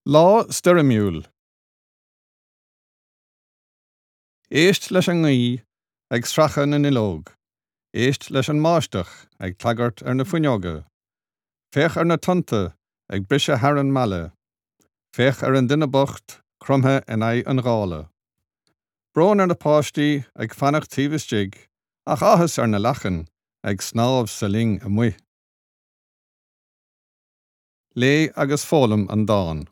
Lá stoirmiúil. Éist leis an ngaoth ag sracadh na nduilleog, éist leis an mbáisteach ag clagairt ar na fuinneoga, féach ar na tonnta ag briseadh thar an mbaile, féach ar an duine bocht cromtha in aghaidh an ghála. Brón ar na páistí ag fanacht taobh istigh ach áthas ar na lachain ag snámh sa linn amuigh. Léigh agus foghlaim an dán.